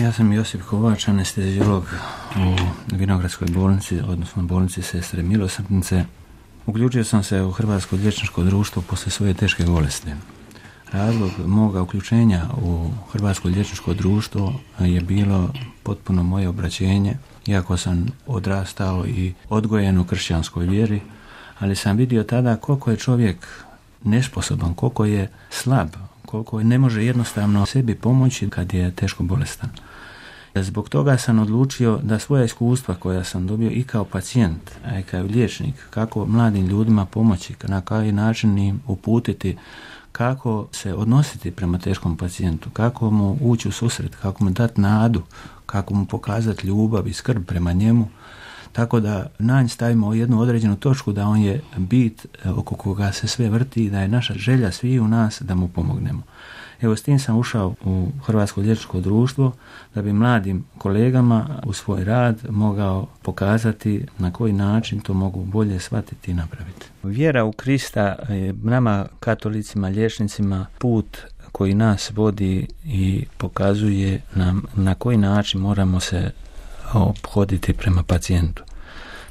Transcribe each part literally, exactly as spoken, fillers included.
Ja sam Josip Kovač, anesteziolog u Vinogradskoj bolnici, odnosno bolnici Sestre Milosrdnice. Uključio sam se u Hrvatsko liječničko društvo poslije svoje teške bolesti. Razlog moga uključenja u Hrvatsko liječničko društvo je bilo potpuno moje obraćenje, iako sam odrastao i odgojen u kršćanskoj vjeri, ali sam vidio tada koliko je čovjek nesposoban, koliko je slab, koliko ne može jednostavno sebi pomoći kad je teško bolestan. Zbog toga sam odlučio da svoja iskustva koja sam dobio i kao pacijent, a i kao liječnik, kako mladim ljudima pomoći, na koji način im uputiti, kako se odnositi prema teškom pacijentu, kako mu ući u susret, kako mu dati nadu, kako mu pokazati ljubav i skrb prema njemu, tako da na nj stavimo jednu određenu točku da on je bit oko koga se sve vrti i da je naša želja svi u nas da mu pomognemo. Evo, s tim sam ušao u Hrvatsko liječničko društvo da bi mladim kolegama u svoj rad mogao pokazati na koji način to mogu bolje shvatiti i napraviti. Vjera u Krista je nama katolicima, liječnicima put koji nas vodi i pokazuje nam na koji način moramo se ophoditi prema pacijentu.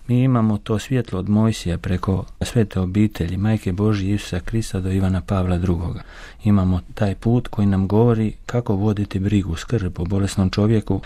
Mi imamo to svjetlo od Mojsija preko svete obitelji, Majke Božje Isusa Krista do Ivana Pavla drugoga. Imamo taj put koji nam govori kako voditi brigu, skrb o bolesnom čovjeku,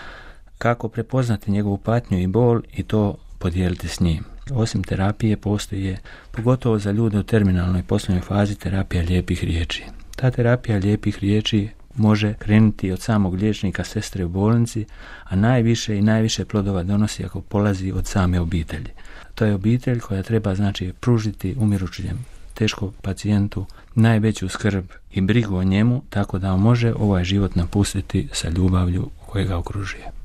kako prepoznati njegovu patnju i bol i to podijeliti s njim. Osim terapije postoji, pogotovo za ljude u terminalnoj poslovnoj fazi, terapija lijepih riječi. Ta terapija lijepih riječi može krenuti od samog liječnika, sestre u bolnici, a najviše i najviše plodova donosi ako polazi od same obitelji. To je obitelj koja treba, znači, pružiti umirućem teškom pacijentu najveću skrb i brigu o njemu, tako da on može ovaj život napustiti sa ljubavlju koja ga okružuje.